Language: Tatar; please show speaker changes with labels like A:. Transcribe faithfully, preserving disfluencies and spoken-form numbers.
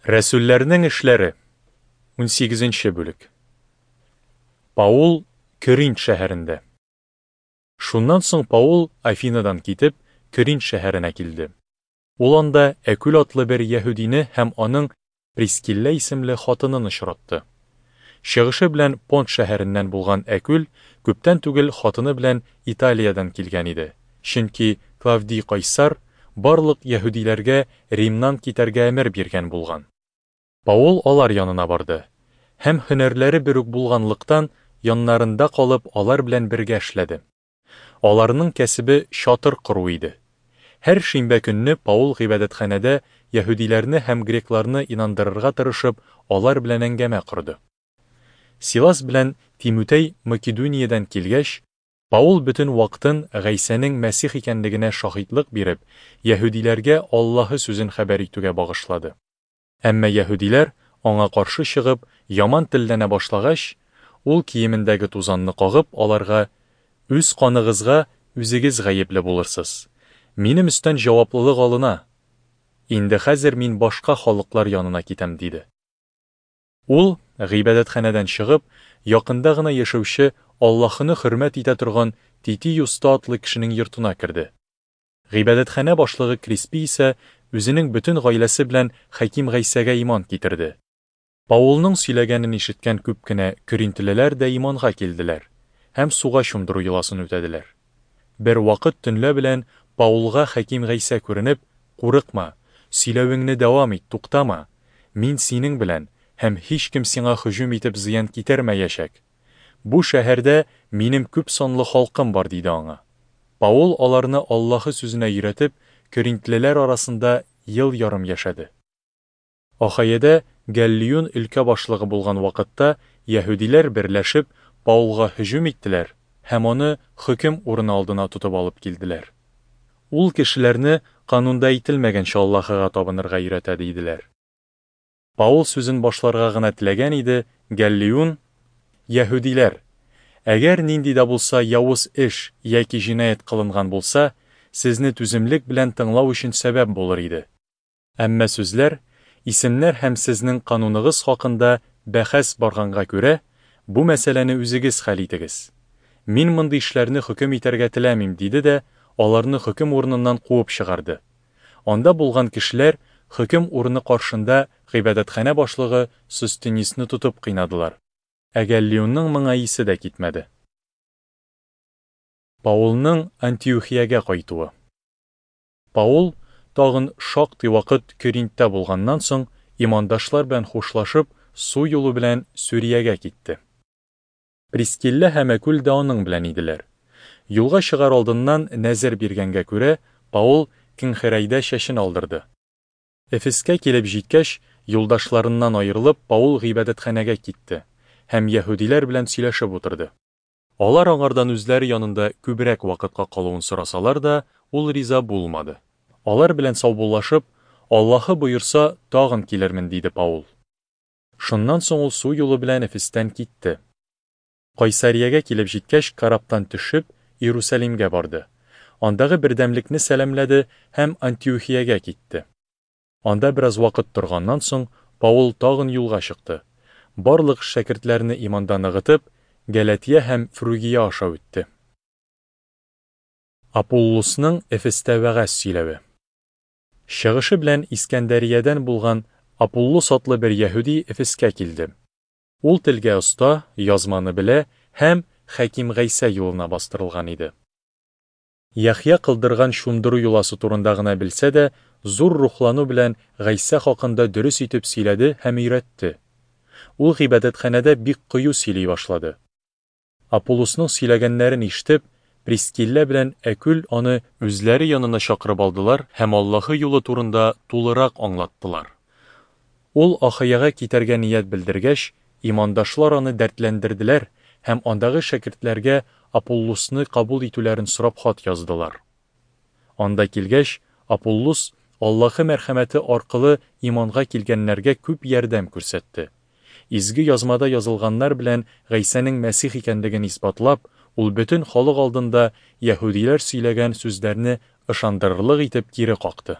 A: Рәсүлләрнең эшләре, унсигезенче бүлек. Паул Көринт шәһәрендә. Шуннан соң Паул Афинадан китеп, Көринт шәһәренә килде. Ул анда Әкүл атлы бер яһүдине һәм аның Прискилла исемле хатынын очратты. Чыгышы белән Понт шәһәреннән булган Әкүл күптән түгел хатыны белән Италиядән килгән иде. Чөнки Клавдий Кайсар барлык яһүдиләргә Римнан китәргә әмер биргән булган. Паул алар янына барды һәм һөнәрләре бер үк булганлыктан яннарында калып алар белән бергә эшләде. Аларның кәсебе чатыр кору иде. Һәр шимбә көнне Паул гыйбадәтханәдә яһүдиләрне һәм грекларны инандырырга тырышып, алар белән әңгәмә корды. Силас белән Тимутей Македониядән килгәч, Паул бөтен вакытын Гайсәнең Мәсих икәнлегенә шаһитлык биреп, яһүдиләргә Аллаһы сүзен хәбәр итүгә багышлады. Әмма яһүдиләр аңа каршы чыгып, яман телләнә башлагач, ул киемендәге тузанны кагып, аларга: "Үз каныгызга үзегез гаепле булырсыз. Минем өстән җаваплылык алына. Инде хәзер мин башка халыклар янына китәм", диде. Ул гыйбадәтханәдән чыгып, якында гына яшәүче Аллаһыны хөрмәт итә торган Тити Юста атлы кешенең йортына керде. Гыйбадәтханә башлыгы Криспи исә үзенең бөтен гаиләсе белән Хаким Гайсәгә иман китерде. Паулның сөйләгәнен ишеткән күп кенә көринтлеләр дә иманга килделәр һәм суга чумдыру йоласын үтәделәр. Бер вакыт төнлә белән Паулга Хаким Гайсә күренеп: "Курыкма, сөйләвеңне дәвам ит, туктама. Мин синең белән, һәм һичкем сиңа һөҗүм итеп зыян китермәячәк. Бу шәһәрдә минем күп санлы халкым бар", диде аңа. Паул аларны Аллаһы сүзенә өйрәтеп, көринтлеләр арасында ел ярым яшәде. Ахайяда Галлион өлкә башлыгы булган вакытта яһүдиләр берләшеп Паулга һөҗүм иттеләр һәм аны хөкем урыны алдына тотып алып килделәр. Ул кешеләрне канунда әйтелмәгәнчә Аллаһыга табынырга өйрәтә, диделәр. Паул сүзен башларга гына теләгән иде, Галлион: "Яһүдиләр, әгәр нинди дә булса явыз эш яки җинаять кылынган булса, сезне түземлек белән тыңлау өчен сәбәп булыр иде. Әмма сүзләр, исемнәр һәм сезнең кануныгыз хакында бәхәс барганга күрә, бу мәсьәләне үзегез хәл итегез. Мин мондый эшләрне хөкем итәргә теләмим", диде дә аларны хөкем урыныннан куып чыгарды. Анда булган кешеләр хөкем урыны каршында гыйбадәтханә башлыгы Состенисны тотып кыйнадылар. Ә Галлионның моңа исе дә китмәде. Паулның Антиохиягә кайтуы. Паул тагын шактый вакыт Көринттә булганнан соң, имандашлар белән хушлашып, су юлы белән Сүриягә китте. Прискилла һәм Әкүл дә аның белән иделәр. Юлга чыгар алдыннан нәзер биргәнгә күрә, Паул Кенхерәйдә чәчен алдырды. Эфескә килеп җиткәч, юлдашларыннан аерылып, Паул гыйбадәтханәгә китте һәм яһүдиләр белән сөйләшеп утырды. Алар аңардан үзләре янында күбрәк вакытка калуын сорасалар да, ул риза булмады. Алар белән саубуллашып, "Аллаһы боерса, тагын килермен", диде Паул. Шуннан соң ул су юлы белән Эфестән китте. Кайсариягә килеп җиткәч, караптан төшеп, Иерусалимгә барды. Андагы бердәмлекне сәламләде һәм Антиохиягә китте. Анда бераз вакыт торганнан соң, Паул тагын юлга чыкты. Барлык шәкертләрне иманда ныгытып, Галатия һәм Фругия аша үтте. Аполлосның Эфестә вәгазь сөйләве. Чыгышы белән Искәндәриядән булган Аполлос атлы бер яһүди Эфескә килде. Ул телгә оста, язманы белә һәм Хаким Гайсә юлына бастырылган иде. Яхъя кылдырган чумдыру йоласы турында гына белсә дә, зур рухлану белән Гайсә хакында дөрес итеп сөйләде һәм өйрәтте. Ул гыйбадәтханәдә бик кыю сөйли башлады. Аполлосның сөйләгәннәрен ишетеп, Прискилла белән Әкүл аны үзләре янына чакырып алдылар һәм Аллаһы юлы турында тулырак аңлаттылар. Ул Ахайяга китәргә ният белдергәч, имандашлар аны дәртләндерделәр һәм андагы шәкертләргә Аполлосны кабул итүләрен сорап хат яздылар. Анда килгәч, Аполлос Аллаһы мәрхәмәте аркылы иманга килгәннәргә күп ярдәм күрсәтте. Изге язмада язылганнар белән Гайсәнең Мәсих икәнлеген исбатлап, ул бөтен халык алдында яһүдиләр сөйләгән сүзләрне ышандырырлык итеп кире какты.